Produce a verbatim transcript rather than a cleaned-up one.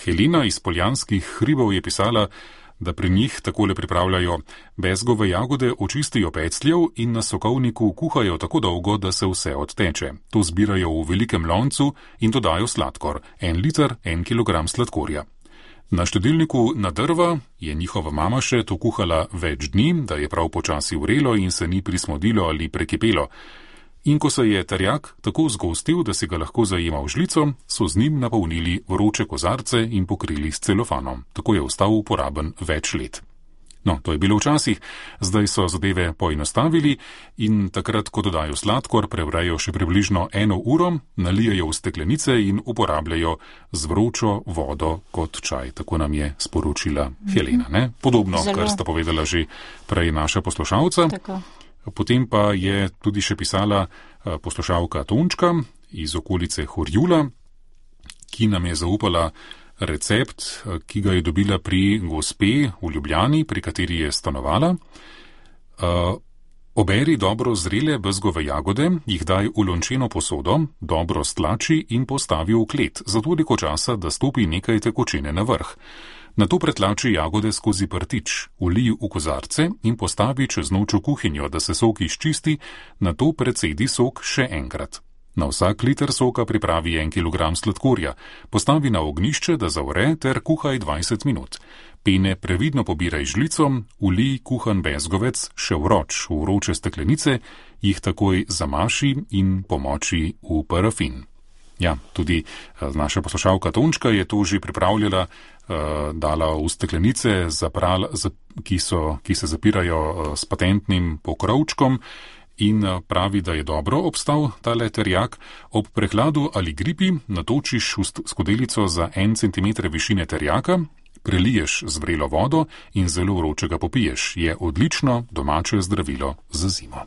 Helena iz Poljanskih hribov je pisala, da pri njih takole pripravljajo: bezgove jagode očistijo pecljev in na sokovniku kuhajo tako dolgo, da se vse odteče. To zbirajo v velikem loncu in dodajo sladkor, en liter, en kilogram sladkorja. Na štedilniku na drva je njihova mama še to kuhala več dni, da je prav počasi vrelo in se ni prismodilo ali prekipelo. In ko se je terjak tako zgostil, da si ga lahko zajema v žlico, so z njim napolnili vroče kozarce in pokrili s celofanom. Tako je ostal uporaben več let. No, to je bilo včasih, zdaj so zadeve poenostavili in takrat, ko dodajo sladkor, prevrejo še približno eno uro, nalijajo v steklenice in uporabljajo z vročo vodo kot čaj. Tako nam je sporočila Helena. Ne? Podobno, Zelo. Kar sta povedala že prej naša poslušalca. Tako. Potem pa je tudi še pisala poslušalka Tončka iz okolice Horjula, ki nam je zaupala recept, ki ga je dobila pri gospe v Ljubljani, pri kateri je stanovala. Oberi dobro zrele bezgove jagode, jih daj v lončeno posodo, dobro stlači in postavi v klet, za toliko časa, da stopi nekaj tekočine na vrh. Nato pretlači jagode skozi prtič, ulij v kozarce in postavi čez noč v kuhinjo, da se sok izčisti, nato precedi sok še enkrat. Na vsak liter soka pripravi en kilogram sladkorja, postavi na ognjišče, da zavre, ter kuhaj dvajset minut. Pene previdno pobiraj žlico, ulij kuhan bezgovec še vroč v vroče steklenice, jih takoj zamaši in pomoči v parafin. Ja, tudi naša poslušalka Tončka je to že pripravljala, dala v steklenice, zapral, ki, so, ki se zapirajo s patentnim pokrovčkom, in pravi, da je dobro obstal tale terjak. Ob prehladu ali gripi natočiš v skodelico za en centimeter višine terjaka, preliješ z vrelo vodo in zelo vročega popiješ. Je odlično domače zdravilo za zimo.